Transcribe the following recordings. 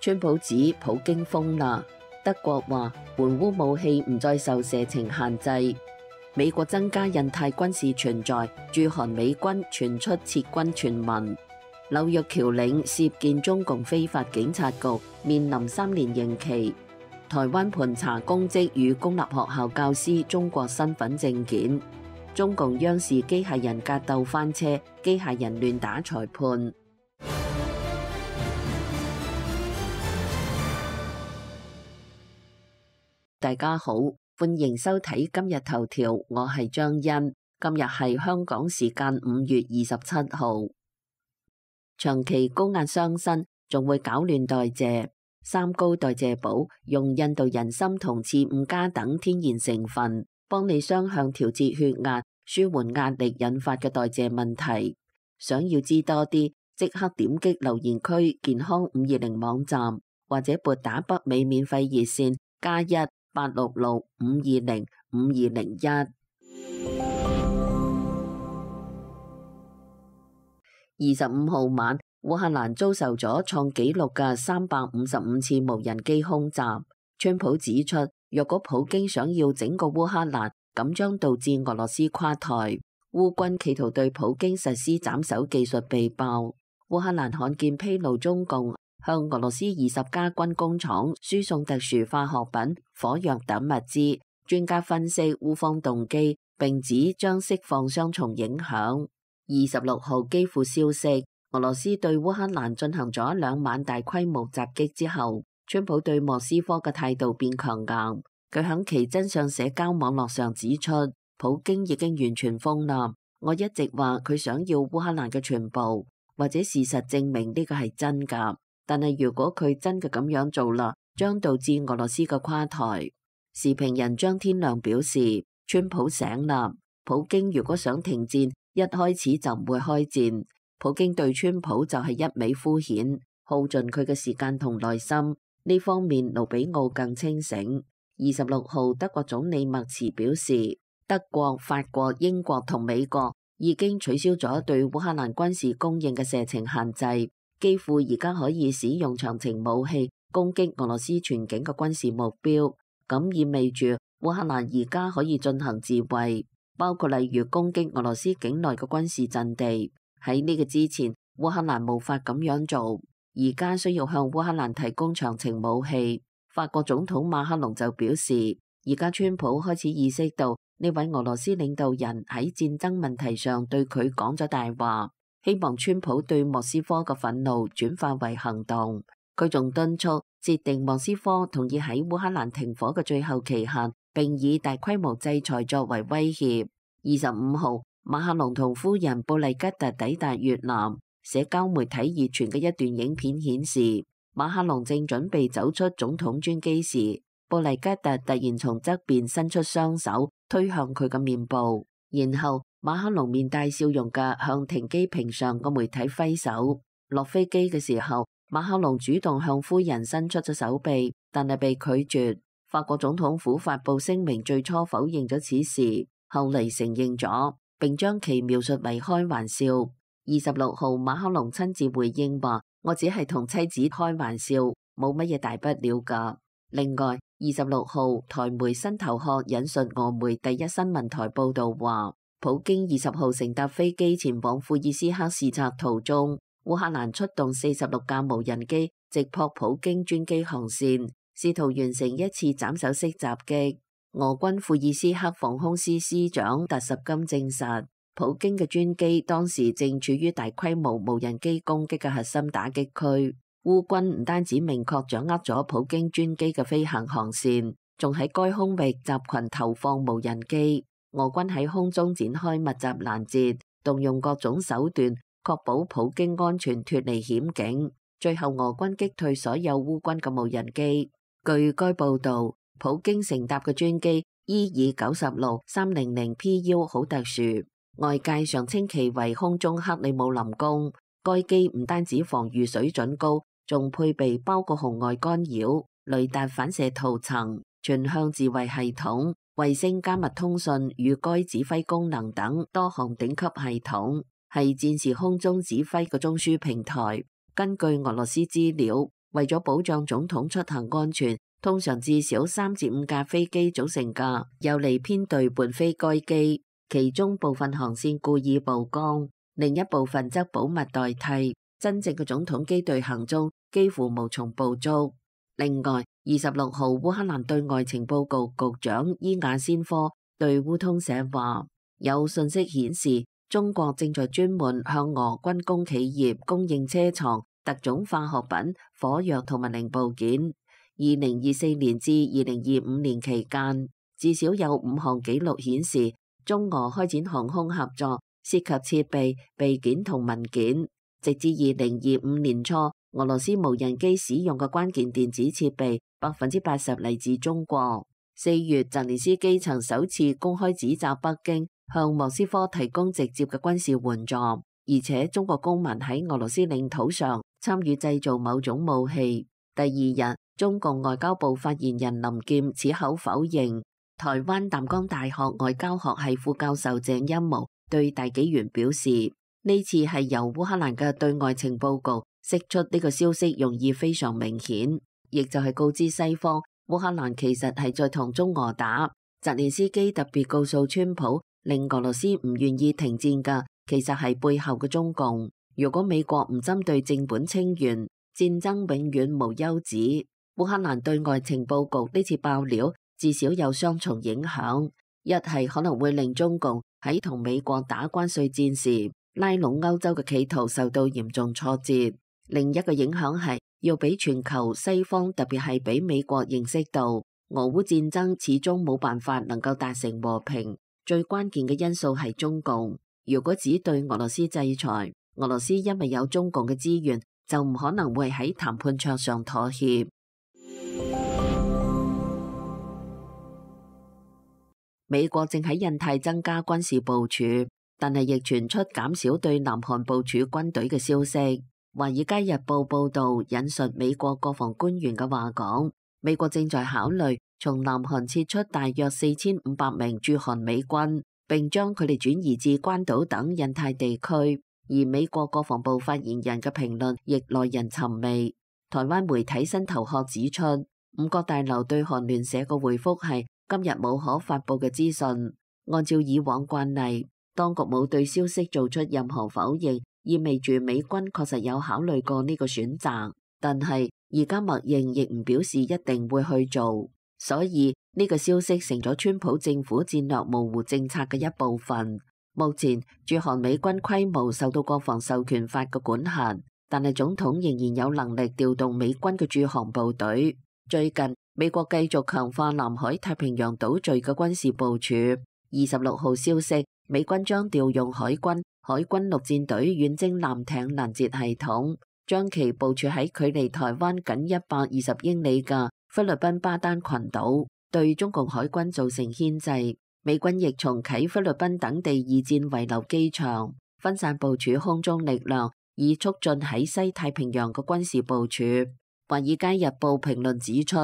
川普指普京瘋啦，德國話援烏武器唔再受射程限制，美國增加印太軍事存在，駐韓美軍傳出撤軍傳聞，紐約僑領涉建中共非法警察局，面臨3年刑期，台灣盤查公職與公立學校教師中國身份證件，中共央視機械人格鬥翻車，機械人亂打裁判。大家好，歡迎收睇今日頭條，我係張欣。今日係香港時間5月27號。長期高壓傷身，仲會搞亂代謝。三高代謝寶用印度人參同刺五加等天然成分，幫你雙向調節血壓，舒緩壓力引發嘅代謝問題。想要知多啲，即刻點擊留言區健康520網站，或者撥打北美免費熱線+1-866-520-5201。25號晚，烏克蘭遭受咗創紀錄嘅355次無人機空襲。川普指出，若果普京想要整個烏克蘭，咁將導致俄羅斯垮台。烏軍企圖對普京實施斬首技術被爆。烏克蘭罕見披露中共向俄羅斯20家軍工廠輸送特殊化學品、火藥等物資。專家分析烏方動機，並指將釋放雙重影響。26號基輔消息，俄羅斯對烏克蘭進行咗2晚大規模襲擊之後，川普對莫斯科嘅態度變強硬。佢響其真相社交網絡上指出，普京已經完全瘋啦。我一直話佢想要烏克蘭嘅全部，或者事實證明呢個係真㗎。但係如果佢真嘅咁樣做啦，將導致俄羅斯嘅垮台。時評人張天亮表示，川普醒啦，普京如果想停戰，一開始就唔會開戰。普京對川普就係一味敷衍，耗盡佢嘅時間同耐心。呢方面盧比奧更清醒。26號德國總理默茨表示，德國、法國、英國同美國已經取消咗對烏克蘭軍事供應嘅射程限制，幾乎而家可以使用長程武器攻擊俄羅斯全境嘅軍事目標。咁意味住烏克蘭而家可以進行自衛，包括例如攻擊俄羅斯境內嘅軍事陣地。喺呢個之前，烏克蘭無法咁樣做，而家需要向烏克蘭提供長程武器。法國總統馬克龍就表示，而家川普開始意識到呢位俄羅斯領導人喺戰爭問題上對佢講咗大話，希望川普對莫斯科嘅憤怒轉化為行動。佢仲敦促設定莫斯科同意喺烏克蘭停火嘅最後期限，並以大規模制裁作為威脅。25號，馬克龍同夫人布麗吉特抵達越南。社交媒體熱傳嘅一段影片顯示，馬克龍正準備走出總統專機時，布麗吉特突然從側邊伸出雙手推向佢嘅面部，然後馬克龍面帶笑容嘅向停機坪上個媒體揮手。落飛機嘅時候，馬克龍主動向夫人伸出咗手臂，但係被拒絕。法國總統府發布聲明，最初否認咗此事，後嚟承認咗，並將其描述為開玩笑。26號，馬克龍親自回應話，我只係同妻子開玩笑，冇乜嘢大不了噶。另外26號，台媒新頭殼引述俄媒第一新聞台報道話，普京20號乘搭飛機前往庫爾斯克視察途中，烏克蘭出動46架無人機直撲普京專機航線，試圖完成一次斬首式襲擊。俄軍庫爾斯克防空司司長達什金證實，普京嘅專機當時正處於大規模無人機攻擊嘅核心打擊區。烏軍唔單止明確掌握咗普京專機嘅飛行航線，仲喺該空域集群投放無人機。俄軍喺空中展開密集攔截，動用各種手段，確保普京安全脫離險境。最後俄軍擊退所有烏軍嘅無人機。據該報導，普京乘搭嘅專機EE-96-300 PU 好特殊，外界常稱其為空中克里姆林宮。該機唔單止防禦水準高，仲配備包括紅外干擾、雷達反射圖層、全向自衛系統、衛星加密通訊與該指揮功能等多項頂級系統，係戰時空中指揮嘅中樞平台。根據俄羅斯資料，為咗保障總統出行安全，通常至少3至5架飛機組成嘅游離編隊伴飛該機，其中部分航線故意曝光，另一部分則保密代替。真正嘅總統機隊行蹤幾乎無從捕捉。另外，26號烏克蘭對外情報局局長伊亞先科對烏通社話，有信息顯示中國正在專門向俄軍工企業供應車床、特種化學品、火藥同埋零部件。2024年至2025年期間，至少有5項紀錄顯示中俄開展航空合作，涉及設備、備件同文件。直至2025年初，俄羅斯無人機使用嘅關鍵電子設備80%嚟自中國。4月，澤連斯基曾首次公開指責北京向莫斯科提供直接嘅軍事援助，而且中國公民喺俄羅斯領土上參與製造某種武器。第二日，中共外交部發言人林劍矢口否認。台灣淡江大學外交學系副教授鄭欽模對大紀元表示，呢次係由烏克蘭嘅對外情報局釋出呢個消息，用意非常明顯，亦就係告知西方烏克蘭其實係在同中俄打。澤連斯基特別告訴川普，令俄羅斯唔願意停戰嘅其實係背後嘅中共。如果美國唔針對正本清源，戰爭永遠無休止。烏克蘭對外情報局呢次爆料至少有雙重影響，一係可能會令中共喺同美國打關稅戰時拉攏歐洲嘅企圖受到嚴重挫折，另一個影響係要俾全球西方，特別係俾美國認識到俄烏戰爭始終冇辦法能夠達成和平，最關鍵嘅因素係中共。如果只對俄羅斯制裁，俄羅斯因為有中共嘅資源，就唔可能會喺談判桌上妥協。美國正喺印太增加軍事部署，但係亦傳出減少對南韓部署軍隊嘅消息。《華爾街日報》報導引述美國國防官員嘅話講，美國正在考慮從南韓撤出大約4500名駐韓美軍，並將佢哋轉移至關島等印太地區。而美國國防部發言人嘅評論亦耐人尋味。台灣媒體新頭殼指出，五角大樓對韓聯社嘅回覆係今日冇可發佈嘅資訊。按照以往慣例，當局冇對消息做出任何否認，意味住美軍確實有考慮過呢個選擇。但係而家默認亦唔表示一定會去做，所以呢個消息成咗川普政府戰略模糊政策嘅一部分。目前駐韓美軍規模受到國防授權法嘅管轄，但係總統仍然有能力調動美軍嘅駐韓部隊。最近美國繼續強化南海太平洋島嶼嘅軍事部署。26號消息，美軍將調用海軍陸戰隊遠征艦艇攔截系統，將其部署喺距離台灣僅120英里嘅菲律賓巴丹群島，對中共海軍造成牽制。美軍亦重啟菲律賓等地二戰遺留機場，分散部署空中力量，以促進喺西太平洋嘅軍事部署。《華爾街日報》評論指出，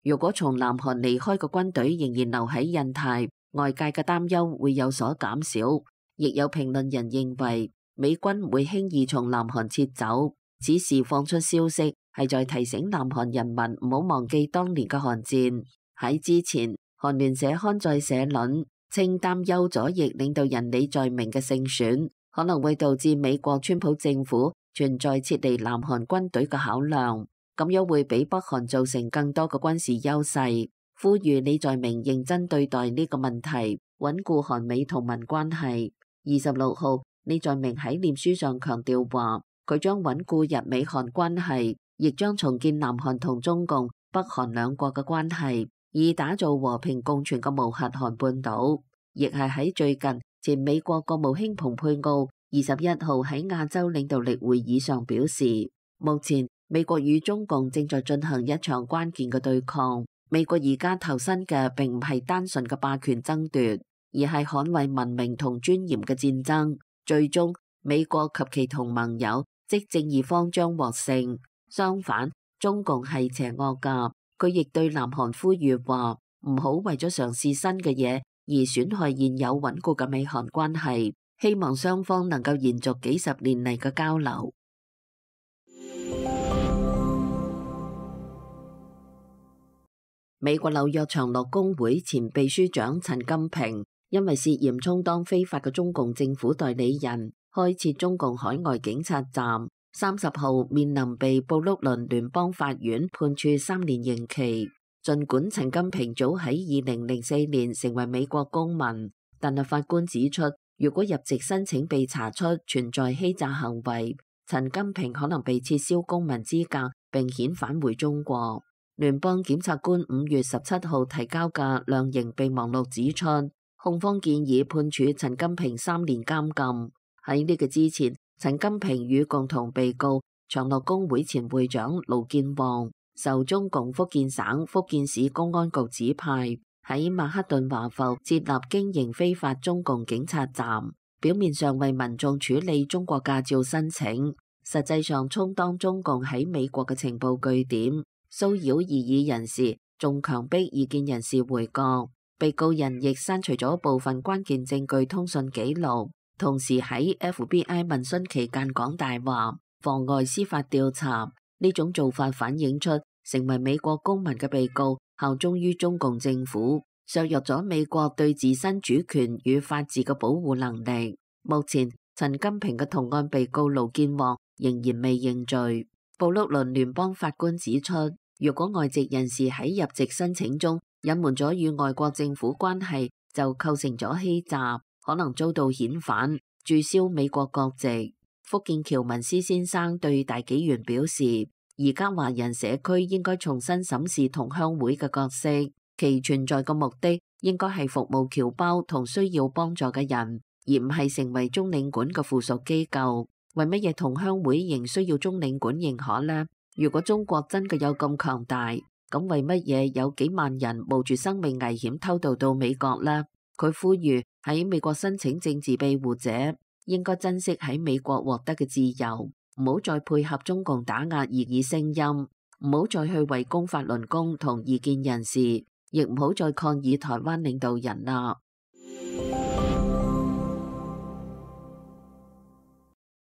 如果從南韓離開嘅軍隊仍然留喺印太，外界嘅擔憂會有所減少。亦有評論人認為，美軍唔會輕易從南韓撤走。此時放出消息係在提醒南韓人民唔好忘記當年嘅韓戰。喺之前，韓聯社刊載社論稱擔憂左翼領導人李在明嘅勝選可能會導致美國川普政府存在撤離南韓軍隊嘅考量，咁樣會俾北韓造成更多嘅軍事優勢。呼籲李在明認真對待呢個問題，穩固韓美同盟關係。26號，李在明喺臉書上強調話，佢將穩固日美韓關係，亦將重建南韓同中共、北韓兩國嘅關係，以打造和平共存嘅無核韓半島。亦係喺最近，前美國國務卿蓬佩奧21號喺亞洲領導力會議上表示，目前美國與中共正在進行一場關鍵嘅對抗。美國而家投身嘅並唔係單純嘅霸權爭奪，而係捍衛文明同尊嚴嘅戰爭。最終，美國及其同盟友即正義方將獲勝。相反，中共係邪惡㗎。佢亦對南韓呼籲話，唔好為咗嘗試新嘅嘢而損害現有穩固嘅美韓關係，希望雙方能夠延續幾十年嚟嘅交流。美國紐約長樂工會前秘書長陳金平因為涉嫌充當非法嘅中共政府代理人，開設中共海外警察站，30號面臨被布魯倫聯邦法院判處3年刑期。儘管陳金平早喺2004年成為美國公民，但係法官指出，如果入籍申請被查出存在欺詐行為，陳金平可能被撤銷公民資格並遣返回中國。聯邦檢察官5月17號提交嘅量刑備忘錄指出，控方建議判處陳金平3年監禁。喺呢個之前，陳金平與共同被告長樂工會前會長盧建旺受中共福建省福建市公安局指派，喺曼克頓華埠設立經營非法中共警察站，表面上為民眾處理中國駕照申請，實際上充當中共喺美國嘅情報據點，騷擾異議人士，仲強迫異見人士回國。被告人亦刪除咗部分關鍵證據通訊記錄，同時喺 FBI 問詢期間講大話，妨礙司法調查。呢種做法反映出成為美國公民嘅被告效忠於中共政府，削弱咗美國對自身主權與法治嘅保護能力。目前，陳金平嘅同案被告盧建旺仍然未認罪。布魯倫聯邦法官指出，如果外籍人士喺入籍申請中隱瞞咗與外國政府關係，就構成咗欺詐，可能遭到遣返、註銷美國國籍。福建僑文斯先生對大紀元表示，而家華人社區應該重新審視同鄉會嘅角色，其存在嘅目的應該係服務僑胞同需要幫助嘅人，而唔係成為中領館嘅附屬機構。為乜嘢同鄉會仍需要中領館認可呢？如果中國真嘅有咁強大，咁為乜嘢有幾萬人冒住生命危險偷渡到美國呢？佢呼籲喺美國申請政治庇護者應該珍惜喺美國獲得嘅自由，唔好再配合中共打壓異議聲音，唔好再去為公法輪功同異見人士，亦唔好再抗議台灣領導人啦。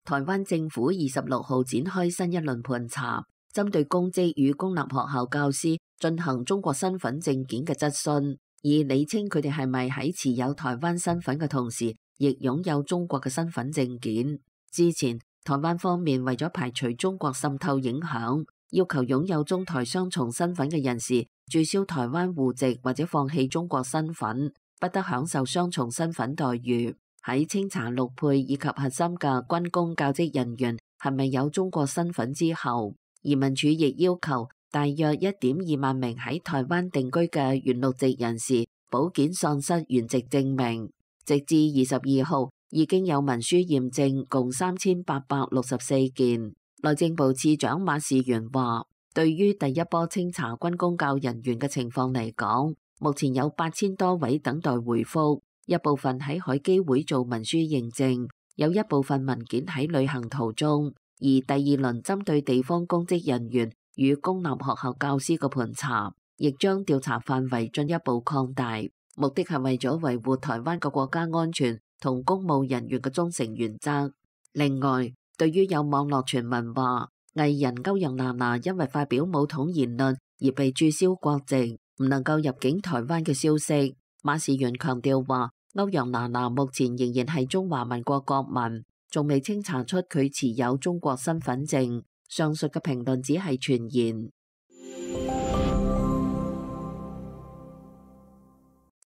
台灣政府26號展開新一輪盤查，針對公職與公立學校教師進行中國身份證件嘅質詢，以理清佢哋係咪喺持有台灣身份嘅同時，亦擁有中國嘅身份證件。之前，台灣方面為咗排除中國滲透影響，要求擁有中台雙重身份嘅人士註銷台灣戶籍或者放棄中國身份，不得享受雙重身份待遇。喺清查陸配以及核心嘅軍公教職人員係咪有中國身份之後，移民署亦要求大約1.2萬名喺台灣定居嘅原陸籍人士補件喪失原籍證明。直至22號，已經有文書驗證共3864件。內政部次長馬士元話，對於第一波清查軍公教人員嘅情況嚟講，目前有8000多位等待回覆。一部分喺海基會做文書認證，有一部分文件喺旅行途中，而第二輪針對地方公職人員與公立學校教師嘅盤查，亦將調查範圍進一步擴大，目的係為咗維護台灣嘅國家安全同公務人員嘅忠誠原則。另外，對於有網絡傳聞話藝人歐陽娜娜因為發表武統言論而被註銷國籍，唔能夠入境台灣嘅消息，馬士元強調話，歐陽娜娜目前仍然係中華民國國民，仲未清查出佢持有中國身份證。上述嘅評論只係傳言。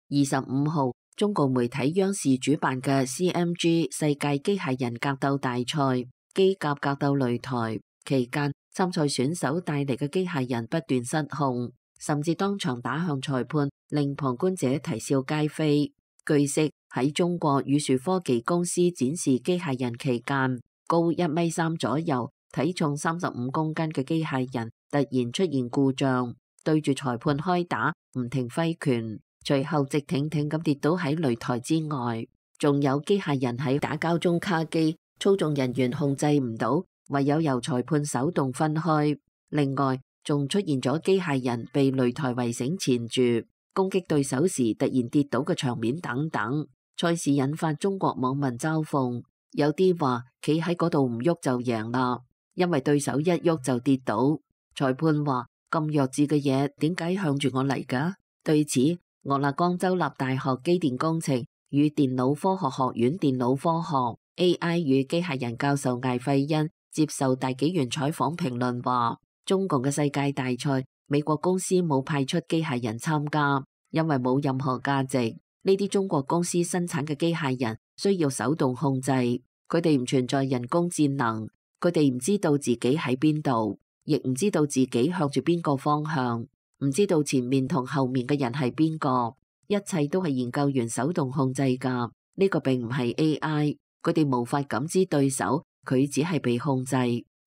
25號，中共媒體央視主辦嘅 CMG 世界機械人格鬥大賽機甲格鬥擂台期間，參賽選手帶嚟嘅機械人不斷失控，甚至當場打向裁判，令旁觀者啼笑皆非。據悉，喺中國宇樹科技公司展示機械人期間，高1.3米左右、體重35公斤嘅機械人突然出現故障，對住裁判開打，唔停揮拳，隨後直挺挺咁跌倒喺擂台之外。仲有機械人喺打交中卡機，操縱人員控制唔到，唯有由裁判手動分開。另外，仲出現咗機械人被擂台圍繩纏住，攻擊對手時突然跌倒嘅場面等等。賽事引發中國網民嘲諷，有啲話企喺嗰度唔喐就贏啦，因為對手一喐就跌倒。裁判話咁弱智嘅嘢點解向住我嚟㗎？對此，俄勒岡州立大學機電工程與電腦科學學院電腦科學 AI 與機械人教授艾費恩接受大紀元採訪評論話，中共嘅世界大賽，美國公司冇派出機械人參加，因為冇任何價值。呢啲中國公司生產嘅機械人需要手動控制，佢哋唔存在人工智能，佢哋唔知道自己喺邊度，亦唔知道自己向住邊個方向，唔知道前面同後面嘅人係邊個，一切都係研究員手動控制㗎。呢個並唔係 AI，佢哋無法感知對手，佢只係被控制，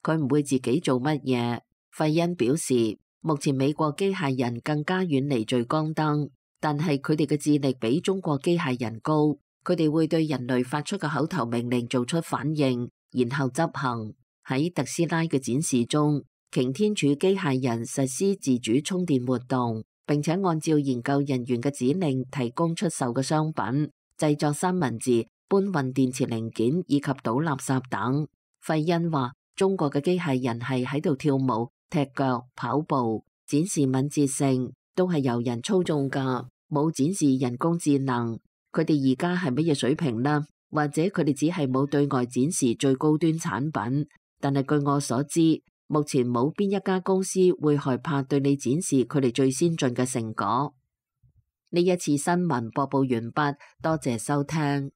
佢唔會自己做乜嘢。費恩表示，目前美國機械人更加遠離聚光燈，但係佢哋嘅智力比中國機械人高，佢哋會對人類發出嘅口頭命令做出反應，然後執行。喺特斯拉嘅展示中，擎天柱機械人實施自主充電活動，並且按照研究人員嘅指令提供出售嘅商品，製作三文治、搬運電池零件以及倒垃圾等。費恩話，中國嘅機械人係喺度跳舞、踢腳、跑步，展示敏捷性，都係由人操縱㗎，冇展示人工智能。佢哋而家係乜嘢水平呢？或者佢哋只係冇對外展示最高端產品？但係據我所知，目前冇邊一家公司會害怕對你展示佢哋最先進嘅成果。呢一次新聞播報完畢，多謝收聽。